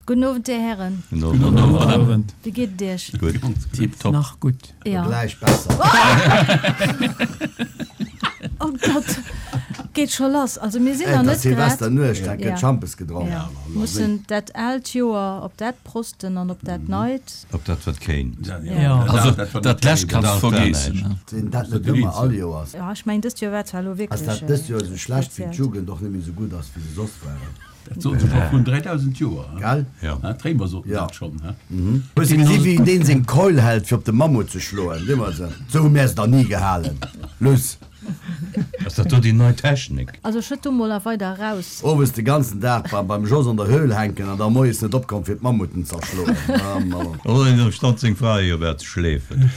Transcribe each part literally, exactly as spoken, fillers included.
Gudden Owend, Dir Hären. Gudden Owend. Wéi geet et Iech? Gutt. Tiptop. Nach gutt. Ja. Gläich besser. Oh Gott, geet scho lass. Also mir sinn nach Et net ass grad. Silvesternuecht, da gëtt Ja. Schampes gedronk. Ja. Mussen dat aalt Joer op dat prosten an op dat neit. Op dat wat kéint. Ja. Also dat lescht kanns de vergeessen. Sinn dat net ëmmer all Joers? Ja, ech mengen dëst Joer war zwar elo Ass wierklech dat dëst Joer esou schlecht, wéi speziell. d'Jugend och net méi esou gutt ass, wéi se soss waren? Dat soten se scho vrun dräidausend Joer. Gell? Ja. D'Réimer soten Ja. dat schonn. Hues de gesi wéi deen seng Keul hält fir op de Mammut ze schloen? Deemools, esou hu mär se der ni gehalen. Luss. Ass dat do déi nei Technik? Also schëtt do mol nach weider eraus. Owes de ganzen Dag beim Jos an der Höhl hänken an da moies net opkomm fir d'Mammuten z'erschloen. Oh, do stand seng Fra jo wäert schleefen.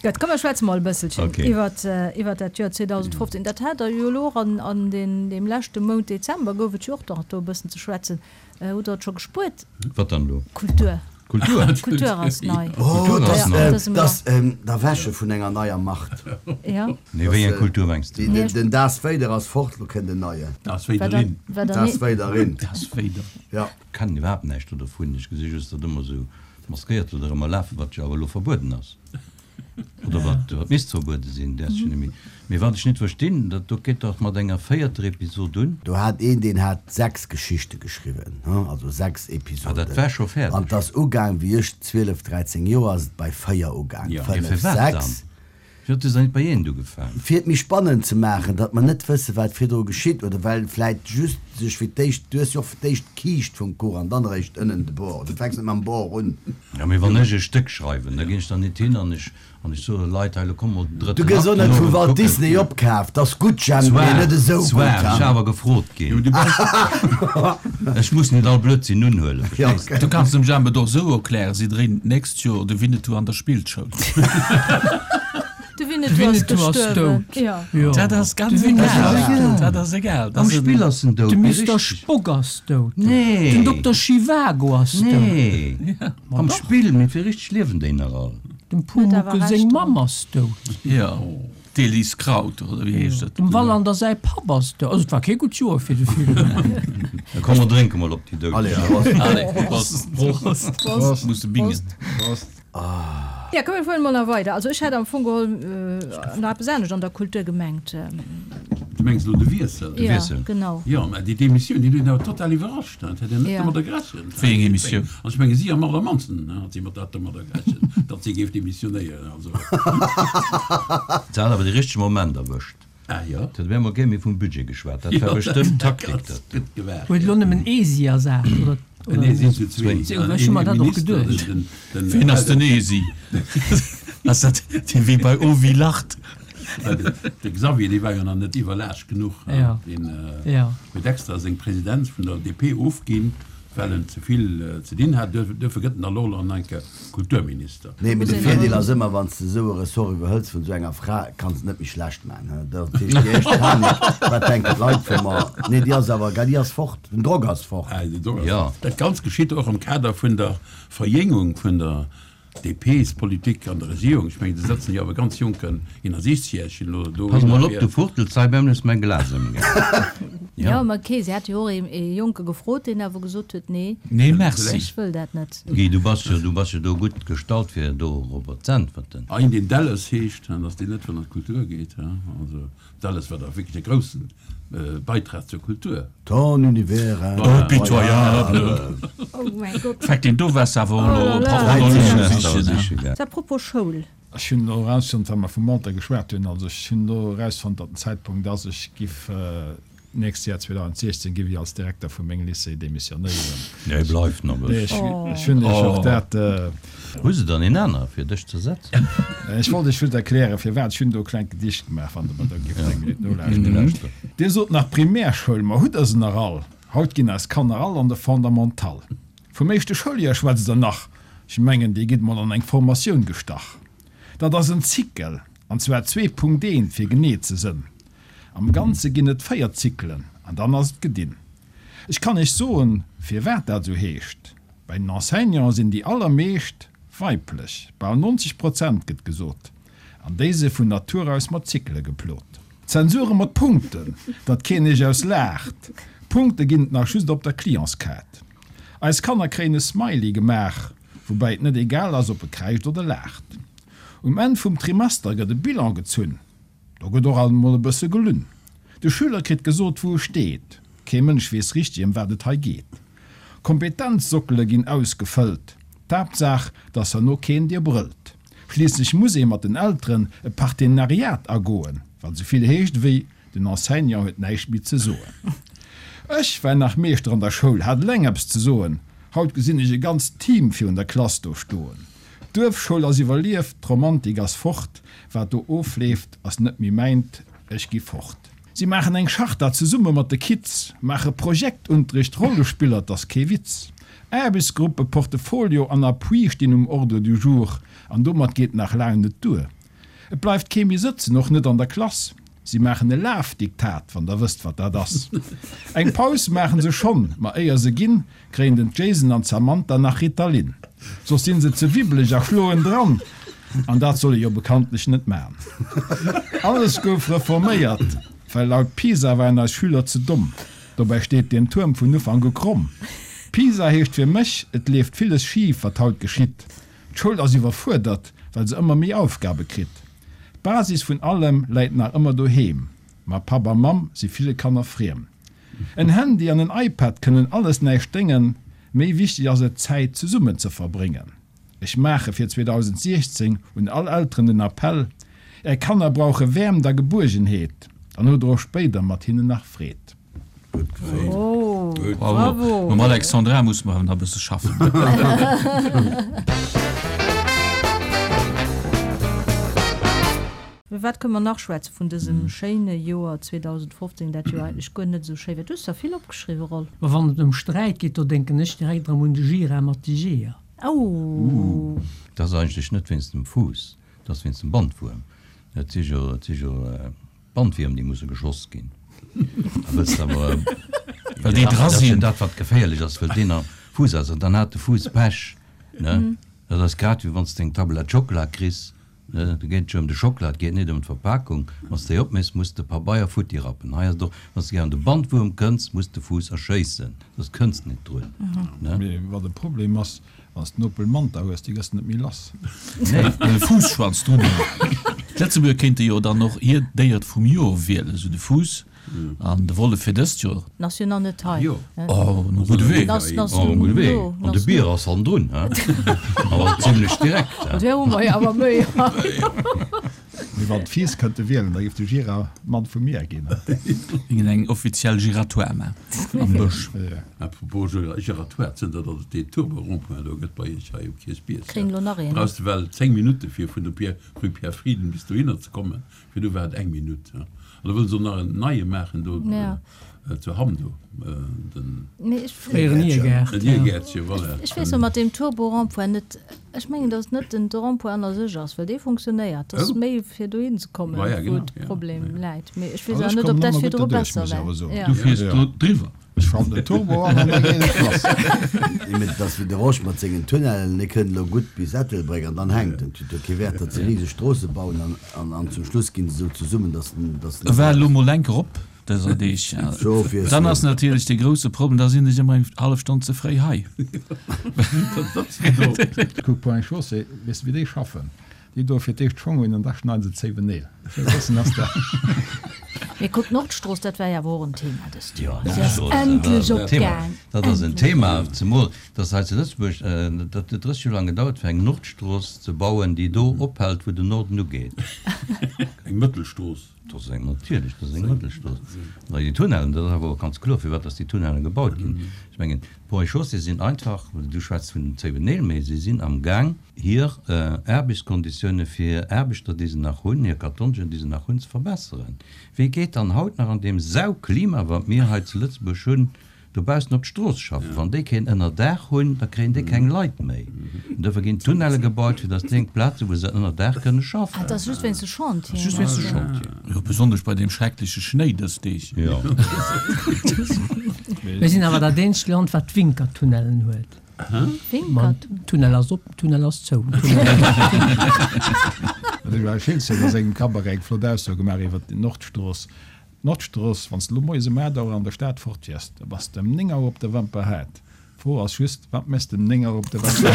Gutt, komm mer schwätze mol e bësselchen Okay. iwwert iwwert dat Joer zweedausendfofzéng. Dat hat Der jo elo och an an den deem leschte Mount Dezember gouf et jo och nach do e bëssen ze schwätzen. Hutt Der et scho gespuert? Wat dann elo? Kultur. Kultur? Kultur ass nei. Oh, Kultur ass dass, nei. äh, Dësem dass ähm, d'Erwäche vun enger neier Macht. Ja. Nee, wéi eng Kultur mengs Déi, de? den, den Darth Vader ass fort, lo kënnt en neien. Darth Wat Vaderin. der, wat der Darth Vaderin. Darth Vader. Ja. Kennen iwwerhaapt näischt do dovun. Ech gesi just, datt ëmmer esou Maskéiert do ëmmer lafen, wat jo awer elo verbueden ass. Oder wat, wat misst verbuede sinn, dat ech net méi. Mee wat ech net verstinn, dat do geet dach mat enger véierter Episod un. Do hat een, deen hat sechs Geschichte geschriwwen, hm, also sechs Ah, Episoden. dat war scho An fäerdeg. 't ass ugaang, wéi ech zwielef, dräizéng Joer, ass et bei véier ugaang, Ja. Mee fënnef, firwat dann? sechs. Firwat hues de dann net bei eent ugefaangen? Fir et méi spannend ze maachen, datt mer net wësse wat virdru geschitt, oder well vläit just sech fir d'éischt, du hues jo och fir d'éischt d'Kiischt vum Kuch an dann eréischt ënnen de Bord, du fänks net mam Bord un. Ja, mee wann ech e Stéck schreiwen, da ginn ech dann net hin an ech an ech soe Leit, hei lo komm mol den Du drëtten gëss Akt och net den vu Owend Walt kucken. Disney opkaaft, 't ass gutt, Jemp, mee Zwar, net esou zwar, gutt, ech ha? awer gefrot ginn. Ech muss net all Blödsinn unhuelen, Ja, verstees de? Du kanns dem Jemp et och esou erklären, si dréinen d'nächst Joer de Winnetou an der Spillschoul. De De Winnetou ass Winnetou ass gestuerwen. dout. Ja. Jo. Dat ass De ganz Winnetou egal. ass dout. Dat ass egal. Am Spill ass en dout, De mee Mister richteg. Spock ass dout. Nee. Den Dokter Schiwago ass dout. Nee. Am Spill, mee fir richteg liewen déi nach all. Dem Huet Pumuckl awer seng Recht. Mamm ass dout. Jo. D'Elise Kraut, oder wéi heescht dat? Dem Wallander säi Papp ass dout. Also et war kee gutt Joer fir de Film. Da komm mer drénke mol op déi Doudeg. Allez, Prost. Allez, Prost. Prost. Prost. Muss de bingen. Prost. Ja, komm mir fueren mol nach weider. Also ech hätt am Fong geholl nach eppes anescht an der Kultur gemengt. Du mengs elo de Wiessel? Ja, Wiessel. genau. Jo, mä déi Demissioun, déi huet een awer total iwwerrascht. Dat hätt een net Ja. domadder gerechent. Wéi eng Emissioun? Also ech menge si am allermannsten hat si mat dat domadder gerechent, datt si géif demissionéieren. Also. Se hat awer de richtege Moment erwëscht. Ah jo. Et huet op eemol kee méi vum Budget geschwat. Dat war Jo, bestëmmt dat Taktik, ganz dat. gutt gewaart. Huet elo nëmmen ee si ersat, oder? Nee, sinn zu zwee. Ech hu mer dat och geduecht. Ween ass den Esi? Ass dat dee wéi bei Oh wie lacht? De Xavier, dee war jo nach net iwwerlaascht genuch. Ja. Deen Ja. huet extra seng Presidenz vun der D P ofginn, well en ze vill ze dinn hat. Duerfir gëtt en da lo nach eng Kéier Kulturminister. Nee, mee de Virdeel ass ëmmer, wann s de esou e Ressort iwwerhëls vun esou enger Fra, kanns de net méi schlecht maachen. He? Dat heescht, déi éischt Panik, wat denken d'Leit vu mer? Nee, déi ass awer, déi ass fort, den Drock ass fort. Ah, den Drock ass Ja. fort. Dat Ganzt geschitt och am Kader vun der Verjéngung vun der D P's-Politik an der Regierung. Ech mengen, do sëtzen jo awer ganz jonken Inner-Siechzegjäregen elo do. Pass mol op, du fuchtels hei beim hues mäin Glas ëmgehaen. Jo, ma okay, si hat jo och ee Jonke gefrot, deen awer gesot huet, nee, Nee, merci. ech wëll dat net. Guy, du bass jo, du bass jo do gutt gestallt fir dorobber z'äntwerten. Ein, deen Delles heescht, an datt deen net vun der Kultur geet, also Delles war da wierklech e groussen Beitrag zur Kultur. Ton univers Oh, pitoyable! Oh mäi Gott. Fäck, deen do waars awer Oh elo là là. op Dräizéng Parole Semester sichen. siche gaang. A propos Schoul. Ech hunn elo erausfonnt, well mer vum Alter geschwat hunn, also ech hunn elo erausfonnt, datt den Zäitpunkt ass, ech giff nächst Joer zweedausendsiechzehn giff ech als Direkter vu mengem Lycée demissionéieren. Nee, bleift nach Nee, bëssen. ech, ech hunn iech och dat. Hu se dann een aner fir dech ze setzen? Ech wollt iech just erklären, firwat. Ech hunn do e klengt Gedicht gemaach, wann Der mer do gifft eng Minutt nolauschteren. Nolauschteren. Dir sot nach Primärschoul, ma hutt Der se nach all? Haut ginn eis Kanner all an de Fondamental. Vum éischte Schouljoer schwätzt Der nach? Ech mengen, Dir gitt mol an eng Formatioun gestach. Dat ass en Zykel, an zwar zwee Punkt eent, fir genee ze sënn. Am Ganze ginn et véier Zyklen, an dann ass et gedinn. Ech kann Iech soen, firwat dat esou heescht, Bei den Enseignanten sinn déi allermeescht weiblech, bal neunzeg Prozent gëtt gesot, an déi si vun Natur aus mat Zykele geplot. Zensure mat Punkten, datt keen Iech aus laacht, Punkte ginn et nach just op der Clientskaart. Eis Kanner kréien e Smiley gemaach, woubäi et net egal ass, ob e kräischt oder laacht. Um Enn vum Trimester gëtt e Bilan gezunn, do gëtt och alt emol e bësse gelunn. De Schüler kritt gesot, wou e steet, kee Mënsch weess richteg, ëm wat et hei geet. Kompetenzsockele ginn ausgefëllt, d'Haaptsaach, dass herno keen dir brëllt. Schliisslech muss ee mat den Elteren e Partenariat agoen, wat esou vill heescht ewéi, Den Enseignant huet näischt méi ze soen. Ech war nach Meeschter an der Schoul, hat eleng eppes ze soen. Haut gesinn ech e ganzt Team virun der Klass do stoen. D'Duerfschoul ass iwwerlieft, d'Romantik ass fort. Wat do ofleeft, ass net méi mäint, ech gi fort. Si maachen eng Charta zesumme mat de Kids, maache Projektunterricht, Rollespiller, 't ass kee Witz. Aarbechtsgruppe, Portefolio an Appui stinn um Ordre du jour, an domat geet nach laang net duer. Et bleift kee méi sëtzen, och net an der Klass. Si maachen e Lafdiktat, wann der wësst, wat dat ass. Eng Paus maachen se schonn, ma éier se ginn, kréien den Jason an d'Samantha nach Ritalin. Soss sinn se ze wibbeleg a schloen dran, an dat soll ee jo bekanntlech net man. Alles gouf reforméiert, well laut PISA waren eis Schüler ze domm. Dobäi steet deen Tuerm vun Ufank u kromm. PISA heescht fir mech, et leeft villes schif, wat haut geschitt. D'Schoul ass iwwerfuerdert, well se ëmmer méi Aufgabe kritt. D'Basis vun allem läit nach ëmmer doheem, ma Papp a Mamm si ville Kanner friem. En Handy an en iPad kënnen alles näischt déngen, méi wichteg ass et Zäit zesummen ze verbréngen. Ech maache fir zweedausentsiechzéng un all Elteren den Appell, Är Kanner brauche Wäermt a Gebuergenheet, dann hutt der och spéider mat hinnen nach Freed. Oh, bravo! Mam Alexandra musse mer awer nach e bësse schaffen. Iwwer wat kënne mer nach schwätzen vun dësem schéine Joer zweedausendfofzéng, dat jo eigentlech guer net esou schéi war? Du hues der vill opgeschriwwen, Rolf. Ma wann et ëm Sträit geet, do denken ech direkt erëm un de Gira mat de Jeeër. Oh! Dat ass eigentlech net wéinst dem Fuuss, dat ass wéinst dem Bandwuerm. Et si jo, et si jo Bandwierm, déi musse geschoss ginn. A wëlls de awer, Well déi dra dat ass jo sinn. dat, wat geféierlech ass, well deen am Fuuss ass. An dann hat de Fuuss Pech, ne? Dat ass grad wéi wann s de eng Tablett Schockela kriss, ne? Do geet et jo ëm de Schockela, et geet net ëm d'Verpakung. Wann s de déi opméchs, muss de Pabeier futti rappen. Hei ass et och, wann s de gär un de Bandwuerm kënns, muss de Fuuss erschéissen, soss kënns de net drun, ne? Mee wat e Problem ass, Wann s de en Opel Manta hues, déi gëss de net méi lass. Nee. E Fuusschwanz drun hunn. D'Lëtzebuerger kéinte jo dann och hiert Déiert vum Joer wielen, esou de Fuuss an de Wollef fir dëst Joer. En ass jo nach net hei. Oh, um gudde Wee. Oh, um gudde Wee. An de Bier ass hannendrun, he? Awer zimlech direkt, he? Där hu mer jo awer méi hei. Mee wann d'Fiiss kënnte wielen, da géif de Gira Mann vum Mier ginn. Géingen eng offiziell Giratoire man am Bësch. À propos Giratoire, zënter datt et deen Turbo-Rond-point do gëtt bei iech hei um Kierchbierg, Kréien elo nach een. brauchs de well zéng Minutte fir vun der Pierre, Rue Pierre Frieden bis dohinner ze kommen. Virdu war et eng Minutt. An da wëllen se och nach en neie maachen do zu Hamm do, den. Mee ech. Fréieren Niergaart. Den Niergäertche, voilà. Ech weess och mat deem Turbo-Rond-point net, ech mengen, datt et net den de Rond-point an a sech ass, well dee funktionéiert. Et ass méi fir dohin ze kommen, wou de Problem läit. Mee ech weess Also awer ech net, ob kommen dat ëmmer gutt virdru derduerch, besser muss ech war. awer soen. Ja. Du fiers do driwwer. Ech schalten den Turbo an an da geet et lass. Nee, mee et ass wéi de Rosch mat sengen Tunnellen, e kënnt elo gutt bis Ettelbréck an dann hänkt en. Et huet jo kee Wäert, datt se riseg Stroosse bauen an, an, an zum Schluss ginn se esou zesummen, datt den, datt den. E war elo mol enk erop dëser Deeg. Dann ass natierlech dee grousse Problem, da sinn ech ëmmer eng hallef Stonn ze fréi hei. Kuck, Ponts et Chaussées, weess de wéi déi schaffen? Déi doe fir d'éischt d'Schong un an da schneiden se d'Zéiwen Neel. Esou e bëssen ass dat. Mee kuck, d'Nordstrooss, dat war jo awer och en Thema dëst Jo, Joer. Se ass d'Nordstrooss, dat endlech ass en Thema. opgaang. Dat ass en Endlech. Thema, zemol dass hei zu Lëtzebuerg, dat huet drësseg Joer laang gedauert, fir eng Nordstrooss ze bauen, déi do ophält, wou den Norden ugeet. Eng Mëttelstrooss. Dat ass eng, natierlech, dat ass eng Mëttelstrooss. An déi Tunnellen, dat ass awer och ganz kloer, firwat dass déi Tunnellen gebaut ginn. Ech mengen, d'Ponts et Chaussées sinn einfach, du schwätz vun den zéiwen Neel, mee si sinn amgaang, hir Aarbechtskonditioune fir hir Aarbechter, déi se nach hunn, hir Kartongen, déi se nach hunn, ze verbesseren. Wie geet dann haut nach an deem Sauklima, wat mir hei zu Lëtzebuerg hunn, dobaussen op d'Strooss schaffen? Wann déi keen Ënnerdaach hunn, da kréien déi keng Leit méi. An dofir ginn Tunnelle gebaut, fir datt déi eng Plaz hunn, wou se ënner Daach kënne schaffen. Ah, dat ass just wéinst de Chantieren. Just wéinst de Chantieren. Jo, besonnesch bei deem schreckleche Schnéi dës Deeg. Jo. Mir sinn awer dat eenzegt Land, wat Winkertunnellen huet. Winkertunnel? Tunnel ass op, Tunnel ass zou. De Joël Schiltz huet a sengem Cabaret eng flott Ausso gemaach iwwer d'Nordstrooss. D'Nordstrooss, wann s de elo moies um aacht Auer an der Stad fort wiers, da bass de ëm néng Auer op der Wemperhaart. D'Fro ass just, Wat méchs de um néng Auer op de Wecker?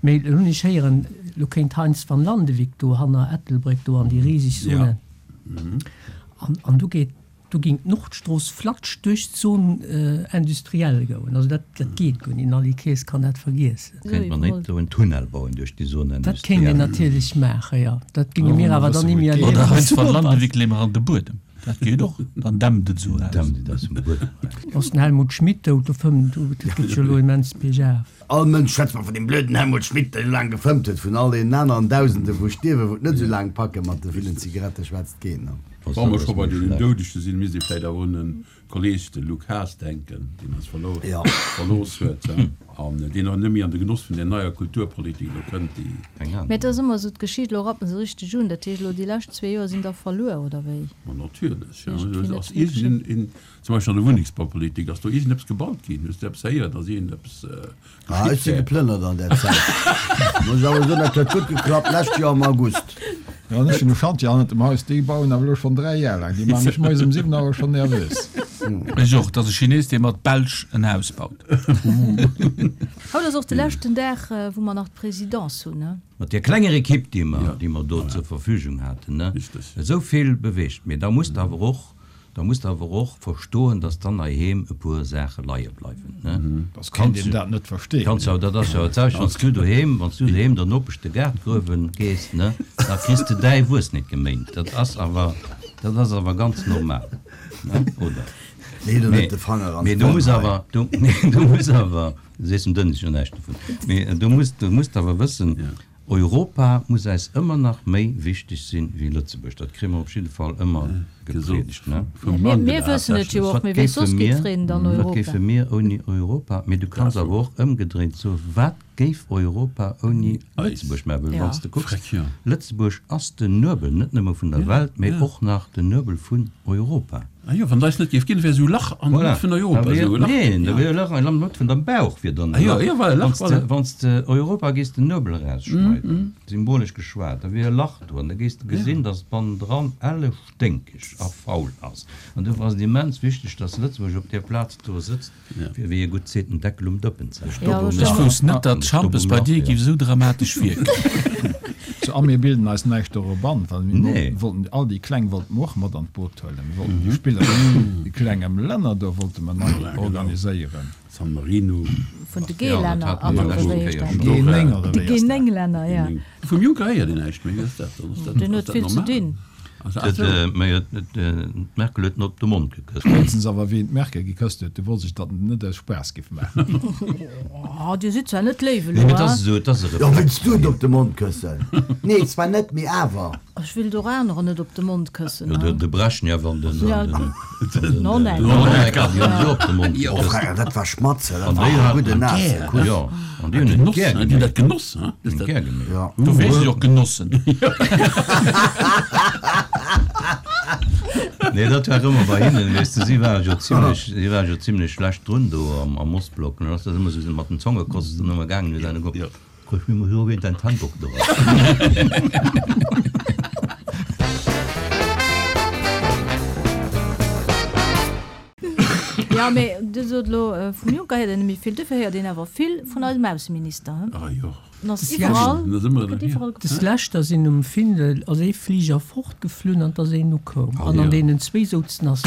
Mee elo hunn ech héieren, elo kéint Heinz van Landewyck do hanner Ettelbréck do an déi riseg Zone. An, an do geet, do géing d'Nordstrooss flatsch duerch d'Zone industrielle goen. Also dat, dat geet guer net. Den Ali Kaes kann dat vergiessen. Kéint mer net do en Tunnel bauen duerch déi Zone Dat kéint een industrielle? natierlech maachen, jo. Dat géinge mir awer dann ni méi erliewen. Oder Heinz van Landewyck leeë mer an de Buedem. Dat geet och, dann dämmt et esou eraus. Dämmt et aus dem Buedem eraus. Ass den Helmut Schmidt dout? Do fëmmt, do gëtt jo elo immens biergaf. All Mënsch schwätzt mer vun deem blöden Helmut Schmidt, deen esou laang gefëmmt huet. Vun all deenen aneren Dausende wou stierwen, wou et net esou laang packe mat de villen Zigarette schwätzt keen. Wa mer scho bei deenen Doudege sinn, misst ee vläicht awer un e Kolleeg, de Luc Haas, denken, deen eis verlooss huet an deen och net méi an de Genoss vun där neier Kulturpolitik elo kënnt, déi. Mä et ass ëmmer esou, d'Geschicht, elo rappen se richteg un. Dat heescht elo, déi lescht zwee Joer sinn da verluer, oder wéi? Ma natierlech, jo. Ass iergend een, zum Beispill an der Wunnengsbaupolitik, ass do iergendeppes gebaut ginn? Hues de eppes héieren, datt iergendeppes Ah, ech si geplënnert an där Zäit. Muss awer soen, dat huet gutt geklappt, lescht Joer am August. Jo, an ech hunn e Chantier hannert dem Haus, déi bauen awer elo schonn dräi Jar laang. Déi maache mech moies um siwen Auer schonn nervös. Ech och. Et ass e Chines, dee mat Belsch en Haus baut. Haut ass och de leschten Dag, wou mer nach d'Présidence hunn, ne? Mat där klenger Equipe, déi mer, déi mer do zur Verfügung haten, ne, esou vill beweegt. Mee da musst awer och Da muss de awer och verstoen, dass dann heiheem e puer Saache leie bleiwen, ne? Dass kéint een dat net verstehen. Kanns jo, dat ass jo dat selwecht, wann s du doheem, wann s du doheem der Nopesch de Gaart gruewen gees, ne, da kriss de däi Wuess net geméint. Dat ass awer, dat ass awer ganz normal, ne, oder? Lee do net de Fanger an Mee du d'Wonn muss hei. awer, du, nee, du muss awer, du sees dem Dënnes jo näischt dovun, mee du muss, du muss awer wëssen, Europa muss eis ëmmer nach méi wichteg sinn wéi Lëtzebuerg. Dat kréie mer op jidde Fall ëmmer gepriedegt, ne? Mir wëssen et jo och, mee wee soss geet freen dann Wat Europa? géife mir ouni Europa? Mee du kanns awer och ëmgedréint soen, Wat géif Europa ouni Lëtzebuerg maachen? Well wann s de kucks, Lëtzebuerg ass den Nuebel net nëmme vun der Welt, mee och nach den Nuebel vun Europa. Ah jo, wann et eis net géif ginn, wär esou e Lach an der Mëtt vun Europa. Voilà, Esou e Lach. Neen, da wier e Lach an der Mëtt vun dem Bauch wier dann e Ah jo, Lach. jo, voilà, e Lach, Wann s de, voilà. wann s de Europa géifs den Nuebel erausschneiden, symbolesch geschwat, da wier e Lach do an da géifs de gesinn, dass et bannendran elle sténkeg a faul ass. An dofir ass et immens wichteg, dass Lëtzebuerg op där Plaz do sëtzt, fir wéi e gutt seet, den Deckel um Dëppen ze halen. Ech wousst net, datt Schampes bei dir géif esou dramatesch wierken. So, a mir bilden eis näischt dorop an, well mir wollten all déi Kleng wollte mer och mat an d'Boot huelen. Mir wollten déi Spiller vun de klenge Länner do wollte mer nei organiséieren. San Marino. Vun de G-Länner, oder wéi heescht dat? G néng oder De wéi ass dat? G néng Länner, ja. Vum Juncker héiert een näischt méi, wéi ass dat dann? Ass dat Deen huet vill ze normal? dinn. D'Merkel huet en op de Mond gekësst. Spéitstens awer wéi en d'Merkel gekësst huet, du wollt sech datt net aus Spaass giff maachen. Oh, dir sidd zwar net léif Nee, elo, mee et ass hein? esou, et ass e Jo, Reflex wëlls du bei et him. op de Mond këssen? Nee, zwar net, mee awer. Ech wéilt och anerer net op de Mond këssen, Jo, de, hein? de Brezhnev an den, Ja, an den, an den Honecker. Honecker, déi hunn se op de Mond Oh, gekësst. Frère, dat war Schmatze, dat An war déi e haten gudden et naasse gär, Kuss. jo, an déi hunn et Genoss, gär hein? Déi hunn dat geméit. genoss, hein? Hunn et gär geméit. Ja. Do weess ech och genossen. Nee, dat war ëmmer bei hinnen, weess de, si ware jo zimlech, si ware jo zimlech schlecht drun do am, am Ostblock. Dann ass dat ëmmer sou mat den Zongekosten ëmmer gaangen, huet einer geguckt, Kuck, mir muss jo wéint dein Handdoch do ass. Ja, mee Dir sot elo, vum Juncker héiert een net méi vill, dofir héiert een awer vill vun eisem Ausseminister, he? Ah jo. En ass iwwerall, gëtt iwwerall Des leschter sinn um Findel ass ee Fliger fortgeflunn an 't ass een ukoum. An an deenen zwee souzen ass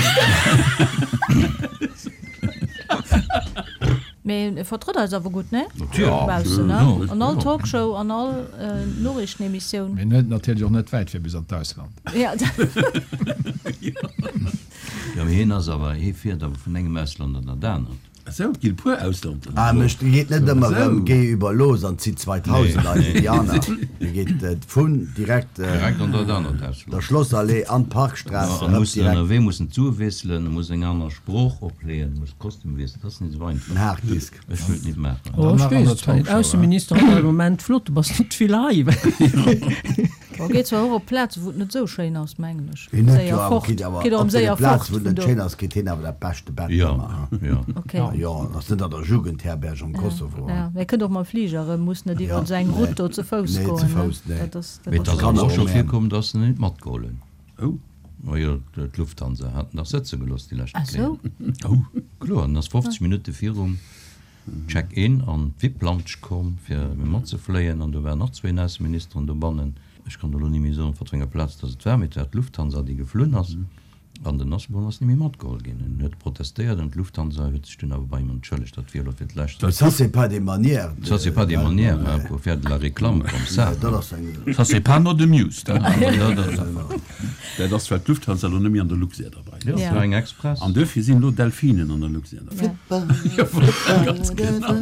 Mee e vertrëtt eis awer gutt, ne? Natierlech. Baussen, ne? Jo. An all Talkshow, an all Noriichtenemissioun. Mee en huet natierlech och net wäit fir bis an d'Ausland. Ja. Jo, mee hien ass awer, hie fiert awer vun engem Ausland an dat anert. Esou, et ginn e puer Auslanden. Ah, mech geet net ëmmer Esou. rëm, géi über los an zitt zweitausend Nee. eis déi aner. Mir geet vun direkt Direkt an dat anert Ausland. der Schlossallee an d'Parkstraße Ja, an erëm muss direkt. ënnerwee muss en d'Sue wiesselen, muss eng aner Sprooch opleeën, muss Kostüm wiesselen. Dat ass net esou einfach. En Harddisk. Ech wëllt net maachen. Oh, Dann ech nach an weess der et zwar net. Talkshow, Ausseminister ass am Moment flott, du bass net vill hei. Bon, geet zwar och op Plazen, wou et net esou schéin ass, mengen ech. Hien huet Séier jo awer fort. kritt awer Geet erëm op deene séier Plazen, fort wou et vun net do. schéin ass, kritt hien awer dat beschte Bett Ja, ëmmer, ha? ja. Okay. Ah jo, ass net an der Jugendherberg am Kosovo, ha? Ja, mee kënnt och mam Fliger erëm, muss net iwwer Ja, esou eng nee. Route do ze Fouss Nee, goen, ze ne? Fouss, nee. Dat ass, dat Mee et ass ass Kann awer och och scho méi. virkomm, dass se net matgeholl hunn. Oh. Majo, d'Lufthansa hat en dach sëtze gelooss déi leschte Ah Kéier. sou? Oh, kloer, en ass fofzeg Minutte virum Check-in an d'VIP-Lounge komm, fir matzefléien, an do waren nach zwéin Ausseministeren dobannen. Ech kann elo ni méi soen, op wat fir enger Plaz dass et war, mee et war d'Lufthansa, déi geflunn ass. An den Asselborn ass ni méi matgeholl ginn. En huet protestéiert an d'Lufthansa huet sech dunn awer bei him entschëllegt. Dat wier elo fir d'lescht. Ça c'est pas des manières de. Ça c'est pas des manières, hein, pour faire de la réclame comme ça. Dat ass eng. Ça c'est pas not amused, hein. Dat ass well d'Lufthansa elo net méi an der Luxair derbäi ass. Jo, et war eng Express. An duerfir sinn elo Delfinen an der Luxair derbäi. Jo, ganz genau.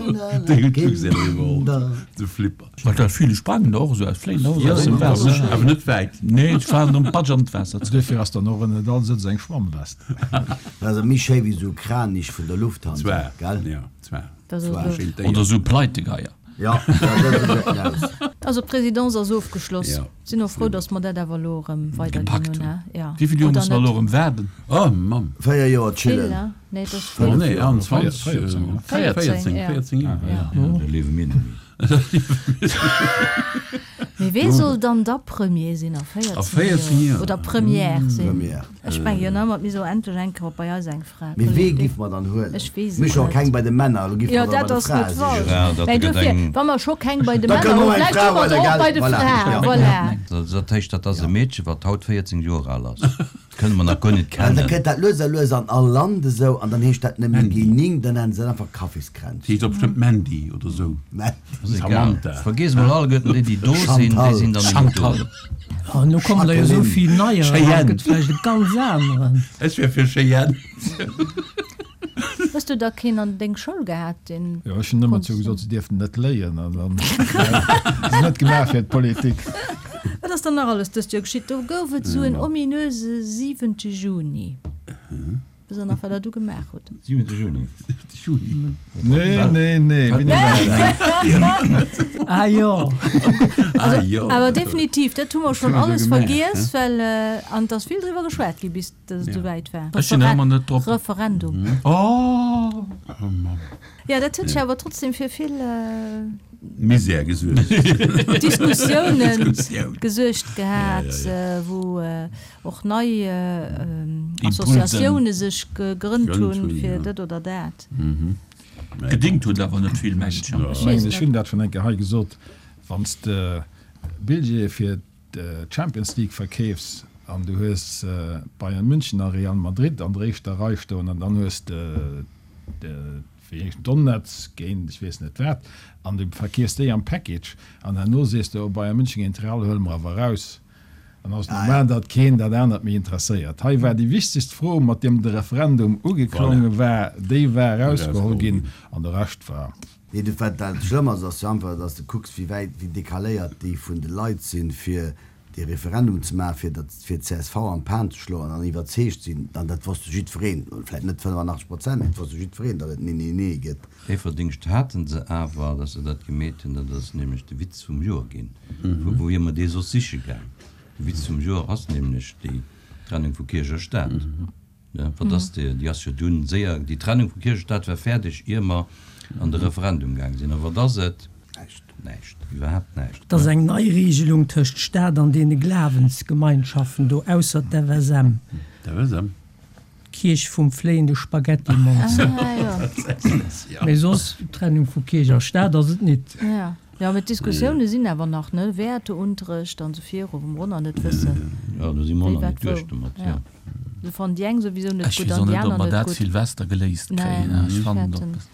Déi hunn d'Luxair elo iwwerholl, de Flipper. Well d'Delfine sprangen da och esou aus, fléien da och esou aus dem Waasser. Awer net wäit. Nee, se falen am Patsch an d'Waasser zeréck. Duerfir ass dann och ënnert all Sëtz eng Schwammwest. Dat ass méi schéi wéi esou Kranich vun der Lufthansa, Zwar, gell? jo, zwar. Dat ass Zwar. elo. Schéin Déier. Oder esou Pleitegeier. Ja, ja, dat gesäit en aus. Also d'Présidence ass ofgeschloss. Ja. Sinn och frou, datt mer dat awer elo erëm weiderginn Gepackt hunn, hunn. he? Ja. Wéi vill Joer Oder musse mer net? elo erëm waarden? Oh Mamm. Véier Joer Vill, chillen. he? Nee, et ass Oh vill. nee, einundzwanzeg, Véierzéng, véierzéng, Véierzéng, ja. véierzéng Joer. Ja. Ja, da liewe mir net méi. Mee wee soll dann da Premier sinn a véierzéng Joer? Oder Première sinn? Première. Ech menge jo nëmmer, mir soe endlech eng Kéier bei eis eng Fra. Mee wee giff mer dann huelen? Ech weess et Mir hu scho net. keng bei de Männer, elo giff Jo, mer der dat bei de ass Frae net sichen. falsch. Ja, dat Mä gëtt dofir, eng. wa mer scho keng bei de Da Männer kënne hunn, mer eng vläicht Fra hu mer huelen, der och gell? bei de Voilà. Fraen. Ja. Voilà. Dat heescht, dat ass e Meedche, wat haut véierzéng Joer al ass. Kënne mer nach guer net An da kennen. kënnt dat lues a lues an all Land esou, an dann heescht dat net méi G-Ning, dann nennen se dat einfach Kaffiskränzchen. Heescht och bestëmmt Mandy oder sou. Mandy. Ass egal. Samantha. Vergiess mol alleguerten déi, déi do sinn, déi sinn dann net méi do. Chantal. An elo kommen der jo esou vill neier, da Cheyenne. gëtt vläicht e ganz aneren. Ech wär fir Cheyenne. Hues du da keen an deng Schoul gehat, deen. Jo, ech hunn ëmmer zou gesot, se dierften net léien an dann se net gemaach fir d'Politik. Wat ass dann nach alles dëst Joer geschitt? Do gouf et esou en ominöse siwente Juni. Wësst der nach, wat der du gemaach hutt? Siwente Juni? Juni. Nee, nee, nee, wéini war dat? Ah jo. Ah jo. Awer definitiv, dat hu mer schonn Hu mer alles gemaach, vergiess, well an et ass vill driwwer geschwat gi bis dass et esouwäit war. Ech sinn nach ëmmer net drop. Referendum. Oh! Jo, dat huet sech awer trotzdem fir vill Misär gesuergt. Diskussiounen Diskussioun. gesuergt gehat, Ja, ja, ja. wou och nei Impulsen. Associatioune sech gegrënnt Gegrënnt hunn hunn, fir ja. dat oder dat. Gedingt huet awer net vill, mengen ech. Ech mengen, ech hunn dat schonn eng Kéier hei gesot, Wann s de Billjeeë fir d'Champions League verkeefs an du hues Bayern München a Real Madrid an der éischter Rei stoen an dann hues de wéi heescht Donetsk géint ech weess net wat an du verkeefs déi am Package an herno sees de, oh Bayern München géint Real huele mer awer eraus, dann ass et normal, datt keen dat anert méi interesséiert. Hei war déi wichtegst Fro, mat deem de Referendum ugeklonge war, déi war erausgeholl ginn an de Rescht war. Nee, du, wat dat schlëmm ass, ass jo einfach, datt s de kucks, wéi wäit, wéi decaléiert déi vun de Leit sinn, fir dee Referendum ze maachen, fir datt, fir d'CSV an d'Pan ze schloen an iwwerzeegt sinn, an dat wosst jo jiddwereen, vläicht net fënnefanachteg Prozent, mee et wosst jo jiddwereen, datt et Nee, Nee, Nee gëtt. Dee Verdéngscht haten se awer, datt se dat gemeet hunn, dat ass nämlech de Witz vum Joer ginn. Vu wou wier mer dee soss siche gaang? De Witz vum Joer ass nämlech déi Trennung vu Kierch a Staat. Ne, wat ass déi? Déi ass jo dunn séier, déi Trennung vu Kierch a Staat war fäerdeg, ier mer an de Referendum gaang sinn. A wat ass et? Näischt. Näischt, iwwerhaapt näischt. Et ass eng nei Regelung tëscht Staat an deene Glawensgemeinschaften do, ausser d'FSM. D'FSM. D'Kierch vum fléiende Spaghettimonster. Ah, jo. Mee soss, Trennung vu Kierch a Staat ass et nit. Ja. Jo, mee d'Diskussioune sinn awer nach, ne? Wäerteunterrecht an esou viru, wou mer och nach net wëssen, Jo, do si mer och wéi, nach wat, net duerch wou. domat, Ja. jo. Do fannen déi eng souwisou net Ech gutt weess an och déi net, ob aner mer net dat gutt. Silvester geléist Nee, kréien. Ech ech fannen fäerten, dat.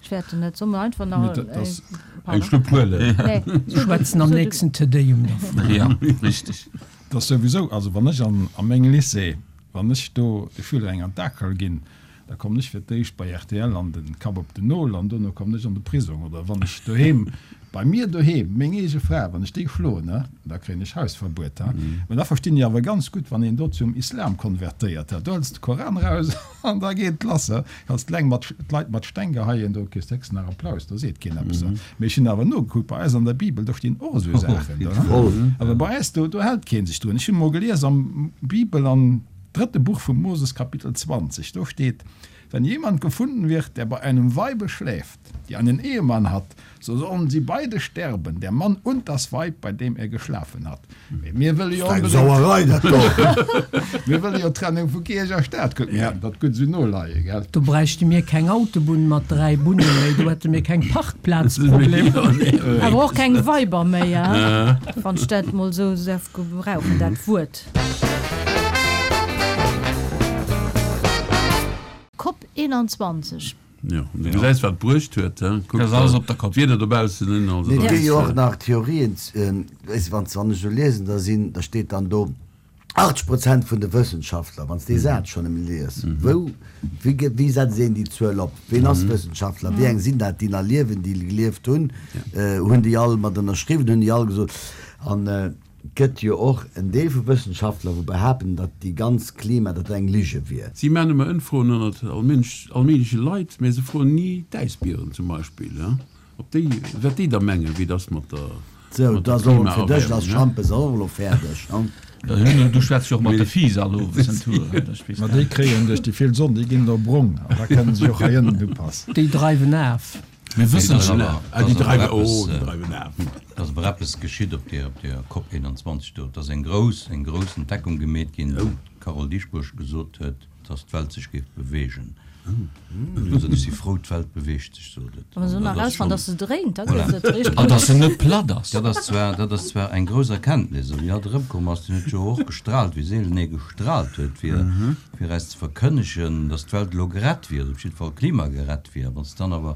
ech fäerten net. Solle mer einfach nach Mee dat ass Eng pardon? Schlupp huelen. Nee, Mir schwätzen am nächsten Te Deum dervun. Ja, richteg. Dat ass souwisou, also wann ech an a mengem Lycée, wann ech do de Schüler eng an d'Akel ginn, da kommen ech fir d'éischt bei rtl an de Kapp op den Nol an dono kommen ech an de Prisong. Oder wann ech doheem, bei mir doheem, meng eege Fra, wann ech déi schloen, ne, da kréien ech Hausverbuet. Ha. Mä da verstinn ech awer ganz gutt, wann een do zum Islam konvertéiert, ha, do hëls de Koran eraus an da geet et lass. Ha. Kanns d'Leng mat, d'Leit mat Steng geheien, do kriss de héchstens nach Applaus, do seet keen eppes. Ha. Mee ech hunn awer nogekuckt, bei eis an der Bibel, do stinn och esou Saachen do, ha. Awer bei eis, do, do hält kee sech drun. Ech hunn emol gelies am Bibel, am drëtte Buch vum Moses, Kapitel zwanzeg, do steet, Wenn jemand gefunden wird, der bei einem Weibe schläft, die einen Ehemann hat, so sollen sie beide sterben, der Mann und das Weib, bei dem er geschlafen hat. Mee mir wëlle jo Eng onbedéngt, Sauerei dat do! mir wëlle jo Trennung vu Kierch a Staat, kuck mir hätten dat gutt esou noleie, gell? Do bräichte mir keng Autobunn mat dräi Bunne méi, do hätte mir keng Parkplazproblemer. Awer och keng Weiber méi, hein, wann ech dat mol esou däerf gebrauchen, dat Wuert. Cop eenanzwanzeg. Jo, an du gesäis, wat et bruecht huet, he? Kuck Dat ass alles op der Kopp. d'Wieder dobaussen un, also Mee et dat gi jo ass. och nach Theorien, weess de, wann wann ech esou liesen, da sinn, da steet dann do, achtzeg Prozent vun de Wëssenschaftler, wann s dee Saz schonn emol lies, wou, wéi gëtt, wéi setzt een déi Zuel op, ween ass Wëssenschaftler, wéi eng sinn dat, déi nach liewen, déi gelieft hunn, hunn déi all mat ënnerschriwwen, hunn déi all gesot, an et gëtt jo och en Deel vu Wëssenschaftler, wou behaapten, datt déi ganz Klima, datt dat eng Lige wier. Si maachen ëmmer Ëmfroen ënnert all Mënsch, all méigleche Leit, mä se froen ni d'Äisbieren zum Beispill, ob déi, wat déi da mengen, wéi et ass mat der, Sou, mat der da soll fir dech ass Klimaerwärmung. Schampes och elo fäerdeg, ne? Du schwätz jo och mat de Fiiss all owes en Tour. Ma déi kréien duerch déi vill Sonn, déi ginn do brong an da kënnen se och hei ënnen upassen. Déi dreiwen af. Mir wëssen Ass schon. awer- Ah, déi ass awer dreiwen, eppes, oh, déi äh, dreiwen af. ass awer eppes geschitt op der, op der COP einundzwanzeg do. Et ass eng grouss, eng grouss Entdeckung gemeet ginn, wou d'Carole Dieschbourg gesot huet, dass d'Welt sech géif beweegen. Huet gesot, ech si frou, d'Welt beweegt sech, sot et. Wa mer se An nach dat ass erausfannen, schonn, dass se dréint, da voilà. gëtt et richteg An gutt. dass se net platt ass. Dat ass zwar, dat ass zwar eng grouss Erkenntnis, a wéi hatt erëmkomm ass, deen huet jo och gestrahlt, wéi seelen ee gestrahlt huet, fir, fir eis ze verkënnegen, dass d'Welt elo gerett wier, op jidde Fall klimagerett wier. Wann s de dann awer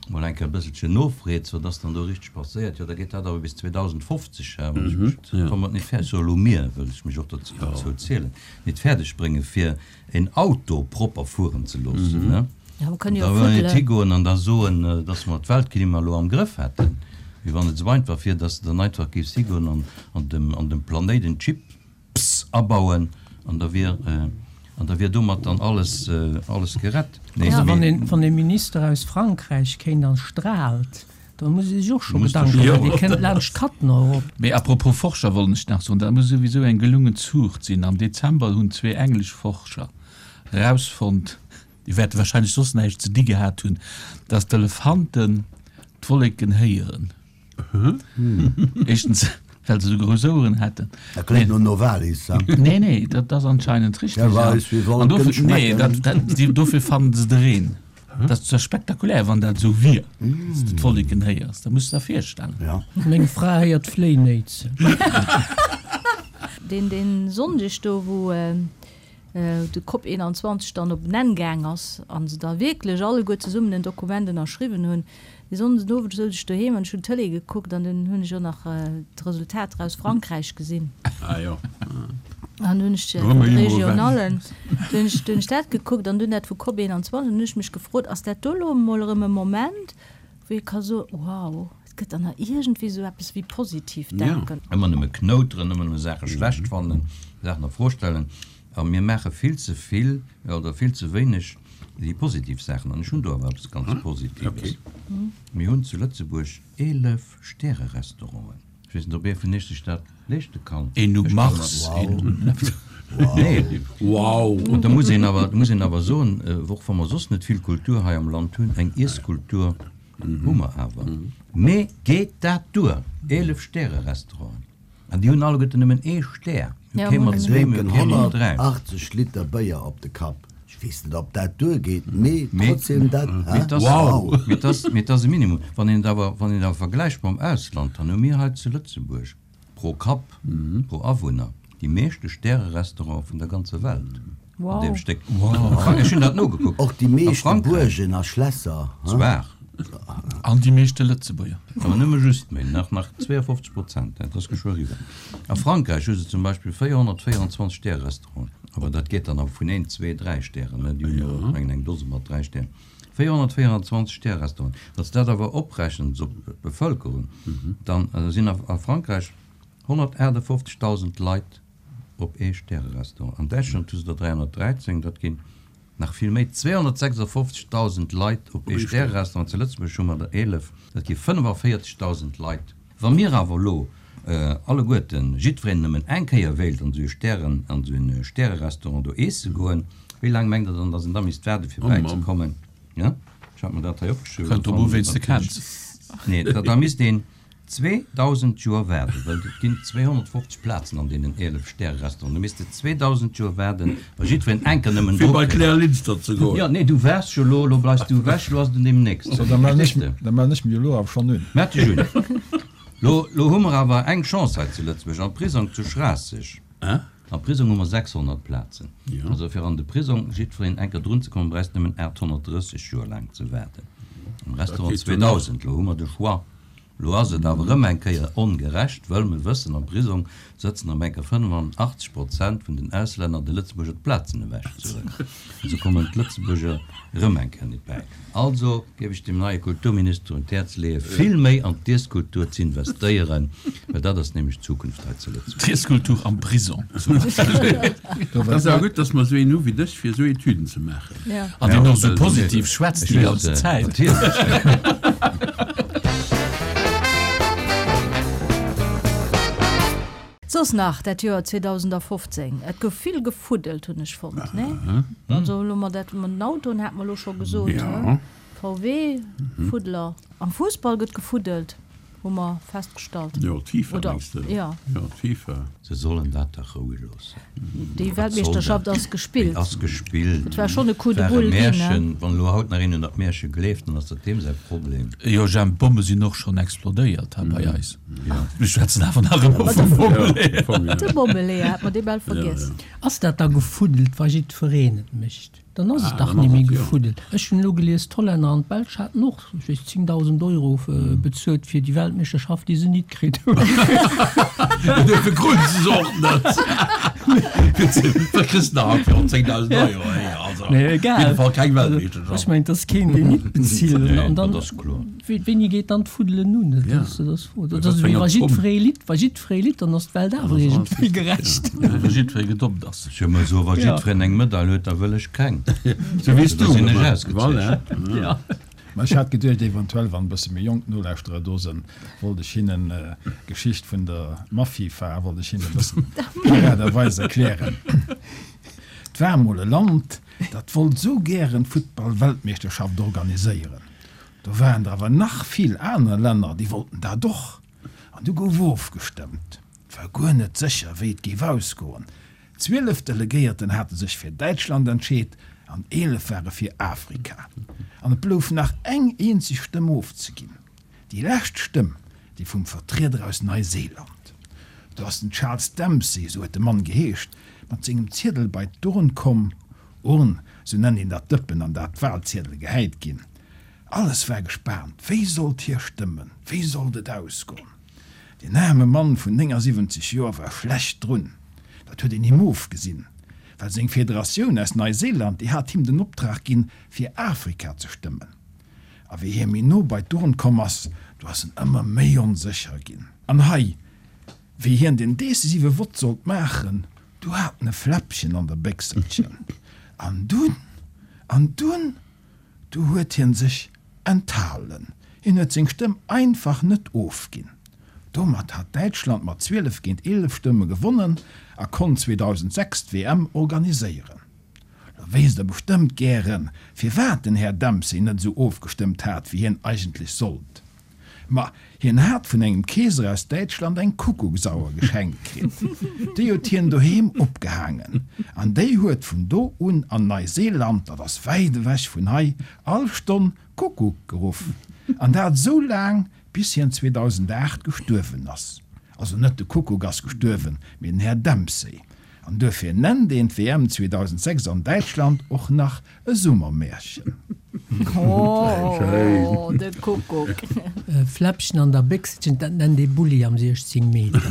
mol eng Kéier e bësselchen nofreets, wat ass dann do richteg passéiert, jo, da geet dat awer bis zweedausendfofzeg, hä, wann ech mech, wa mer et net fäerdeg, so elo mir, wëll ech mech och dozou zielen, net fäerdeg bréngen, fir en Auto propper fueren ze loossen, ne? Ja, mer kënnen jo Da wëll net fuddelen. higoen an da soen, dass mer d'Weltklima elo am Grëff hätten, wéi wann et esou einfach wier, dass de dann einfach géifs higoen an an dem an dem Planéit en Chip, pss, abauen an da wier an da wier domat dann alles alles gerett. Nee, Also wann mee een wann ee Minister aus Frankräich kéint an straalt, da muss ee sech och scho Muss de Gedanken scho maachen, dee kënnt laanscht d'Katten erop. Mee apropos Forscher wollt ech nach soen, dat muss souwisou eng gelungen Zuucht sinn. Am Dezember hunn zwee englesch Forscher erausfonnt, déi wäerte wahrscheinlech soss näischt ze di gehat hunn, dass d'Elefanten d'Wolleken héieren. Éischtens, well se esou grouss Oueren hätten. Dat kléngt no Novalis, ha? Nee, nee, dat ass anscheinend richteg. Wer weiß, wie An Wolken dofir, nee, schmecken. dat, dat, die, dofir fannen se de Reen. Dat ass zwar spektakulär, wann dat esou wier, dass du d'Wolleken héiers. Da muss du der virstellen. Ja. Meng Fra héiert d'Fléinéitsen. Deen, deen Sonndeg do, wou de Cop eenanzwanzeg dann op en Enn gaang ass a se da wierklech alleguer zesummen en Dokument ënnerschriwwen hunn, dee Sonnden den Owend souz ech doheem an ech hunn d'Tëlee gekuckt an dunn hunn ech och nach d'Resultater aus Frankräich gesinn. Ah jo. An dunn hunn ech vun de Regionallen, dunn hunn ech, dunn hunn ech dat gekuckt an dunn dat vu Cop eenanzwanzeg an dunn hunn ech mech gefrot, ass dat do elo emol erëm e Moment, wou ee ka soen, wow, et gëtt dann nach iergendwéi esou eppes wéi positiv Denken. Ëmmer nëmme knouteren, ëmmer nëmme Saache schlecht fannen, Saachen a Fro stellen. A mir maache vill ze vill oder vill ze wéineg déi positiv Saachen. An ech hunn do awer eppes ganz Positives. Mir hunn zu Lëtzebuerg eelef Stärerestauranten. Ech weess net, ob ee vun iech sech dat leeschte kann. Een um Mars, een um. Nee. Wow! Und da muss een awer, muss een awer soen, och wa mer soss net vill Kultur hei am Land hunn, eng Iesskultur hu mer awer. Mee geet dat duer? Eelef Stärerestauranten. An déi hunn alleguerten nëmmen ee Stär. Mir hu kee mat zwee, mir hu kee mat dräi. Drénken honnertachtzeg Liter Béier op de Kapp. Ech weess net, ob dat duergeet, mee trotzdem dat, Mee hä? et ass, Wow! mee et ass, mee et ass e Minimum. Wann een et awer, wann een et awer vergläicht mam Ausland, dann hu mir hei zu Lëtzebuerg pro Kapp, pro Awunner déi meeschte Stärerestaurante vun der ganzer Welt. An deem Wow. Stéck. Ech hunn dat nogekuckt. Och déi A meeschte Frankräich. Buergen a Schlässer, hä? Zwar. An déi meeschte Lëtzebuerger. Awer nëmme just méi, nach nach zweeënfofzeg Prozent, dat ass geschwë eriwwer. A Frankräich hu se zum Beispill véierhonnertvéierundzwanzeg Stäre-Restauranten, awer dat geet dann awer vun een, zwee, dräi Stären, ne, déi hunn jo, ech mengen, eng Dose mat dräi Stären. véierhonnertvéierundzwanzeg Stäre-Restauranten. Wann s de dat awer oprechens op d'Bevëlkerung, dann sinn a Frankräich honnertaachtafoffzegdausend Leit op ee Stäre-Restaurant. An Däitschland hu se der dräihonnertdräizéng, dat ginn Nach vill méi, zweehonnertsechsafofzegdausend Leit op ee Stärerestaurant, zu Lëtzebuerg hu mer der eelef, dat gi fënnefavéierzegdausend Leit. Wa mir awer elo alleguerten, jiddwereen nëmmen eng Kéier wéilt an esou e Stären, an esou e Stärerestaurant do eesse goen, Wéi laang mengt Der dann, datt een da misst waarde fir bäizekommen? Jo, ech hat mer dat hei opgeschriwwen. Kënnt drop u wéi s de kenns. Nee, da da misst een zweedausend Joer waarden, well et ginn zweehonnertfofzeg Plazen an deenen eelef Stäre-Restauranten. Du misst de zweedausend Joer waarden, wa jiddwereen enker nëmmen Fir dru bei kritt. d'Claire Linster ze goen. Jo, nee, du waars jo elo, elo bleifs du ewech, elo ass et un deem nächsten. So, da mellen ech, Verstees de? da mellen ech mech elo awer schonn un. Meld dech un. Lo, lo hu mer awer eng Chance hei zu Lëtzebuerg, am Prisong zu Schraasseg. Am Prisong hu mer sechshonnert Plazen. Also fir an de Prisong jiddwereen enker drun ze kommen, bräichst nëmmen aathonnertdrësseg Joer laang ze waarden. Am Restaurant zweedausend. Lo hu mer de Choix. Lo ass et awer erëm eng Kéier ongerecht, wëll mer wëssen, am Prisong sëtzen erëm eng Kéier fënnefenachtzeg Prozent vun den Auslänner, de Lëtzebuerger d'Plazen ewechzehuelen. Also kommen d'Lëtzebuerger erëm eng Kéier nit bäi. Also géif ech dem neie Kulturminister un d'Häerz leeën, vill méi an d'Iesskultur z'investéieren, well dat ass nämlech d'Zukunft hei zu Lëtzebuerg. D'Iesskultur am Prisong zum Beispill. Et ass awer gutt, dass mer esou een hu wéi dech, fir esou Etüden ze maachen. An deen och esou positiv schwätzt déi ganz Zäit. Soss nach dat Joer zweedausendafofzéng, et gouf vill gefuddelt, hunn ech fonnt, nee? Also elo mat dat mat den Autoen hat mer elo scho gesot, he? V W, Fuddler. Am Fussball gëtt gefuddelt, hu mer festgestallt. Jo, d'FIFA Oder, mengs de? jo. Jo, d'FIFA. Se sollen dat dach roueg loossen. Déi Wat soll Weltmeeschterschaft dat? ass gespillt. Déi ass gespillt. Et war schonn e Coup de War e boule ginn, he? Märchen. Wann elo haut nach een un dat Märche gleeft, dann ass dat deem säi Problem. Jo, Jemp, d'Bomme sinn och schonn explodéiert hei bei eis. Mir schwätzen awer nach ëmmer vum Bommeleeër. De Bommeleeër, hat mer dee bal vergiess. Ass dat da gefuddelt, wa jiddwereen et mécht? Dann ass et dach dann ass net méi et, jo. gefuddelt. Ech hunn elo gelies, d'Hollänner an d'Belsch haten och, ech weess, zéngdausend Euro bezuelt fir déi Weltmeeschterschaft, déi se nit kritt hunn. Duerfir kruten se se och net. Wat kriss de nach haut fir zéngdausend Euro? Hey, also, Nee, op egal. jidde Fall keng Also, Weltmeeschterschaft. ech mengen, et ass keen, deen nit bezilt. Nee, An dann, dat ass kloer. wéi, wéini geet dann d'Fuddelen un? Dat Ja. ass, dat ass d'Fro. Dat Wat ass fir ewéi enger wa Zomm? jiddweree litt, wa jiddweree litt, dann ass d'Welt awer iergendwéi gerecht. Wa jiddweree gedoppt ass. Ech hu mol soen, wa Ja. jiddwereen eng Medail huet, da wëll ech keng. Sou wéi s Da du. sinn ech Voilà. ausgezeechent. Ja. Ma ech hat geduecht, eventuell, wann e bësse méi jonk Nolauschterer do sinn, wollt ech hinnen d'Geschicht vun der Mafifa wollt ech hinnen e bëssen paraderweis erklären. Et war emol e Land, dat wollt esou gären d'Futtball-Weltmeeschterschaft organiséieren. Do waren der awer nach vill aner Länner, déi wollten dat och. An du gouf ofgestëmmt. Et war guer net sécher, wéi et géif ausgoen. Zwielef Delegéierten hate sech fir Däitschland entscheet an eelef ware fir Afrika. An et blouf nach eng eenzeg Stëmm ofzeginn. Déi lescht Stëmm, déi vum Vertrieder aus Neuseeland. Do ass den Charles Dempsey, esou huet de Mann geheescht, mat sengem Ziedel bei d'Urn komm. Urn, esou nennt een dat Dëppen, an dat d'Wahlziedele gehäit ginn. Alles war gespaant, wéi sollt hie stëmmen, wéi sollt et ausgoen? Deen aarme Mann vun néngasiwwenzeg Joer war schlecht drun, dat huet een him ofgesinn, well seng Federatioun aus Neuseeland, déi hat him den Optrag ginn, fir Afrika ze stëmmen. A wéi hie méi no bei d'Urn komm ass, do ass en ëmmer méi onsécher ginn. An hei, wéi hien den decisive Vott sollt maachen, du hat en e Fläppchen an der Béchselchen. An dunn, an dunn, du huet hien sech enthalen. Hien huet seng Stëmm einfach net ofginn. Domat hat Däitschland mat zwielef géint eelef Stëmme gewonnen a konnt zweedausendsechs d'W M organiséieren. Lo wéisst der bestëmmt gären, firwat den Här Dempsey net esou ofgestëmmt hat, wéi hien eigentlech sollt. Ma hien hat vun engem Keeser aus Däitschland eng Kuckucksauer geschenkt kritt. Déi huet hien doheem opgehaangen an déi huet vun do un an Neuseeland, dat ass wäit ewech vun hei, all Stonn Kuckuck geruff. An dat esou laang, bis hien zweedausendacht gestuerwen ass. Also net de Kuckuck ass gestuerwen, mee den Här Dempsey. An duerfir nennt een d'W M zweedausendsechs an Däitschland och nach e Summermärchen. Oh, de Kuckuck. E Fläppchen an der Béchselchen, dat nennt ee Bulli am siechzéng Meter.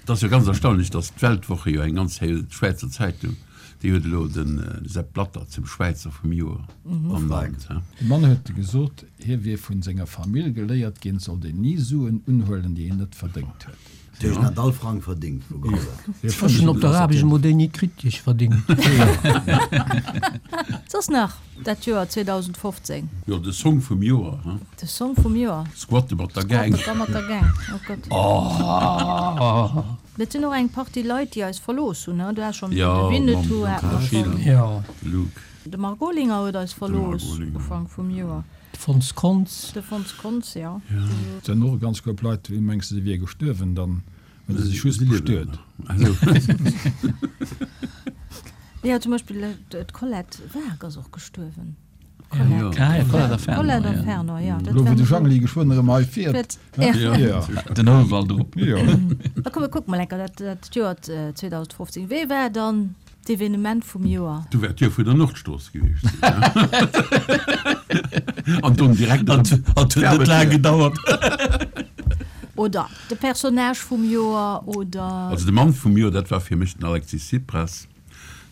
Et ass jo ganz erstaunlech, datt d'Weltwoche jo eng ganz héi Schwäizer Zeitung, déi huet elo de Sepp Blatter zum Schwäizer vum Joer ernannt. De Mann huet gesot, hie wier vun senger Famill geléiert ginn, et sollt een ni Suen unhuelen, déi een net verdéngt huet. Déi ech net all Frang verdéngt vu geholl. Ech hunn op der Aarbecht emol déi ni kritt, déi ech verdéngt. Soss nach dat Joer zweedausendfofzéng? Jo, de Song vum Joer, hein? De Song vum Joer. Squatte mat der Gang. Squatte mat der Gang, oh Gott. Oh! Et sinn och eng Partie Leit, déi eis verlooss hunn, du has schonn de Ja, Winnetou mam hat mer Achille, schonn. Jo. de Luc. De Marc Olinger huet eis De verlooss Marc Olinger. Ufank vum Joer. De Fons Kontz. De Fons Kontz, jo. Et sinn och e ganz Koup Leit, wéi mengs de, déi wier gestuerwen, dann hunn se sech just Si liewen bestuet. nach. Also. Jo, zum Beispill d'Colette Wark ass och gestuerwen. Ja. Ah, ja, Colette a Fernand, Colette a ja. Fernand, ja. Dat Elo wou war de Jangli geschwënn erëm hei fiert. Ja. Ja. Den Houwald erop. Jo. Da komm, mir kucke mol enker dat, dat Joer zweedausendfofzéng. Wéi war dann d'Evenement vum Joer? Du wäert d'Joer vun der Nordstrooss gewiescht sinn, ne? An dunn direkt An huet net laang gedauert. Oder de Personnage vum Joer, oder? Also de Mann vum Joer, dat war fir mech den Alexis Tsipras.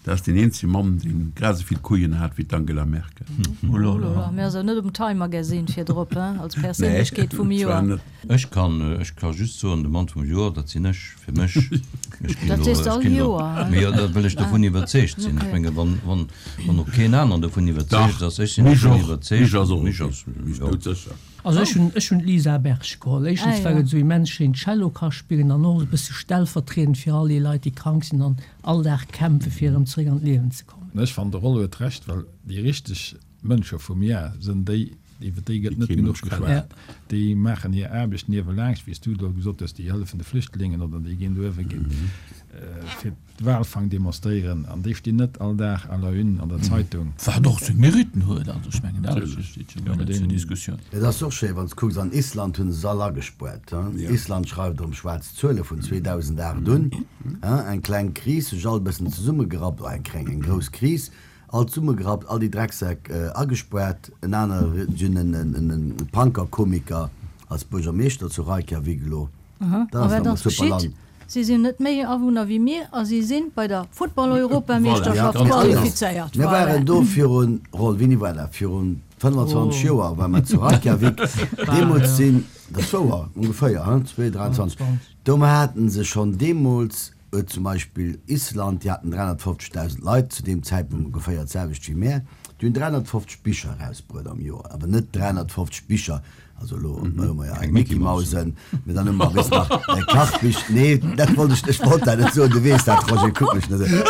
Dat ass deen eenzege Mann, deen grad esou vill Couillen hat wéi d'Angela Merkel. Oulala, mir ass awer net um Time Magazine virdrop, hein, als Perséinlechkeet vum Joer. Ech kann, ech ka just soen, de Mann vum Joer, dat sinn ech, fir mech. Ech ginn Dat elo, sees de ech all ginn elo, Joer, hein? mee jo, dat wëll ech dovun iwwerzeegt sinn. Ech menge wann, wann, wann och keen aneren dovun iwwerzeegt Dach, ass, ech sinn mich dovun och, iwwerzeegt, mich ass och mich okay. ass, Mich jo. doudsécher. Also ech hunn, ech hunn d'Lisa Berg geholl. Éischtens, Ah, well jo. et esou immens schéin Cello ka spillen an och e bësse stellvertriedend fir all déi Leit, déi krank sinn an all Dag kämpfe fir erëm zeréck an d'Liewen ze kommen. Ech fannen, de Rollo huet Recht, well déi richteg Mënsche vum Jar sinn déi, iwwer déi gëtt Déi net kee genuch Mënsch kennt. geschwat. Déi maachen hir Aarbecht niewelaanscht, wéi s du elo gesot hues, déi hëllefen de Flüchtlingen oder déi ginn do uewe ginn fir d'Walfang demonstréieren an déi stinn net all Dag à la une an der Zeitung. Wat och seng Meritten huet, also ech mengen dat steet jo guer net zur Diskussioun. Et ass och schéi wann s kucks, an Island hunn se se all agespuert. Island schreift erëm schwaarz Zuele vun zweedausendacht un, eng kleng Kris, sech all e bëssen zesummegerappt, oh eng kleng, eng grouss Kris, all zesummegerappt, all déi Drecksäck agespuert, en anere, si hunn en Punker-Komiker als Buergermeeschter zu Reykjavik elo. Aha, Dat a ass wat awer ass super geschitt? Land. Si sinn net méi Awunner wéi mir a si sinn bei der Futtball-Europameeschterschaft Voilà, ganz genau. qualifizéiert. Mir Voilà. waren do virun, Roll, wéini war dat? Virun fënnfanzwanzeg Joer ware mer zu Reykjavik. Deemools sinn, dat ass wouer, ongeféier, hein, zwee, dräianzwanzeg, do haten se schonn deemools, huet zum Beispill Island, déi haten dräihonnertfofzegdausend Leit, zu deem Zäitpunkt ongeféier d'selwecht wéi mär, déi hunn dräihonnertfofzeg Bicher erausbruet am Joer, awer net dräihonnertfofzeg Bicher, also elo hu mer jo eng Mickey Mausen, mee dann hu mer wéis nach Kachbich, nee, dat wollt ech, ech wollt dat net soen, du weess dat, Roger, kuck mech net esou.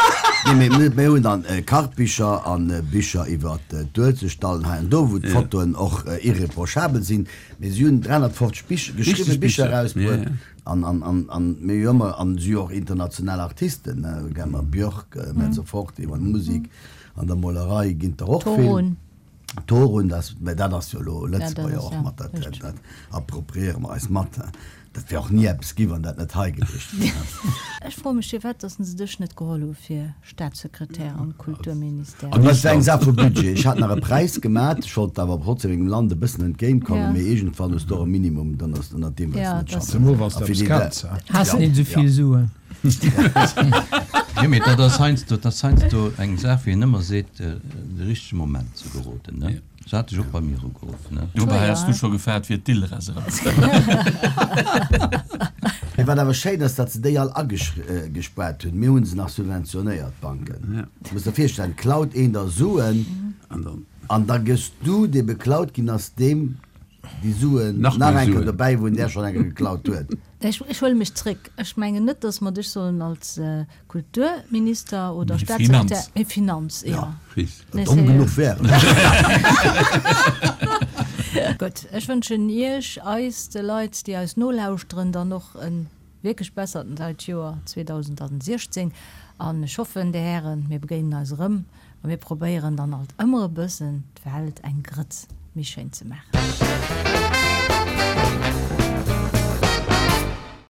Nee, mee mir, mir hunn dann Kachbicher an Bicher iwwer d'Uelzechtdallen hei an do, wou d'Fotoen och irreprochabel sinn, mee si hunn dräihonnertfofzeg Bicher, geschriwwe Bicher erausbruet an, an, an, an mir hu ëmmer, an si hu och international Artisten, ne, Gemma Björk, Mezzoforte, iwwer d'Musek, an der Molerei ginn der och vill. Torun. Torun, das, mä dat ass jo elo Lëtzebuerger Ja, dat ass, och ja, mat, dat, richtig. dat appropriéiere mer eis mat. Dat wär och ni eppes gi, wann dat net hei gewiescht wär. Ech froe mech, firwat dass se dech net geholl hu fir Staatssekretär am Kulturministère. An dat war eng Saach vu Budget. Ech hat nach e Präis gemat, ech wollt awer trotzdem mengem Land e bëssen entgéintkommen, Ja. mee iergendwann hues du och e Minimum, dann ass ënnert deem wëlls Ja, du net dat ass- schaffen. Zemol wann s A du fir eppes déi kanns, ha? Has Ja, net esou vill ja. Suen. Jo, mee dat ass heiansdo, dat ass heiansdo eng Saach, wéi een ëmmer seet, de richtege Moment ze geroden, ne? Se hat dech och bei mir ugeruff, ne? Dobäi has du scho gefaart fir d'Ilres eraus. Mee wat awer schéin ass, datt se déi all agespaart hunn. Mir hu se nach subventionéiert, d'Banken. Du muss der virstellen, klaut een der Suen an da gëss du, dee beklaut ginn ass, deem déi Suen Nach nach méi eng Kéier Suen. dobäi, wou en där schonn eng Kéier geklaut huet. Ech, ech huele mech zréck. Ech mengen net, dass mer dech sollen als Kulturminister oder Mee Staatssekretär, Finanz. mee Finanz, jo. Ja. Richt. Nee, Domm seriö. genuch wär ech. Gutt, ech wënschen Iech, eis, de Leit, déi eis nolauschteren, dann och e wierklech bessert neit Joer zweedausentsiechzéng. An ech hoffen, Dir Hären, mir begéinen eis erëm a mir probéieren dann alt ëmmer e bëssen, d'Welt eng Grëtz méi schéin ze maachen.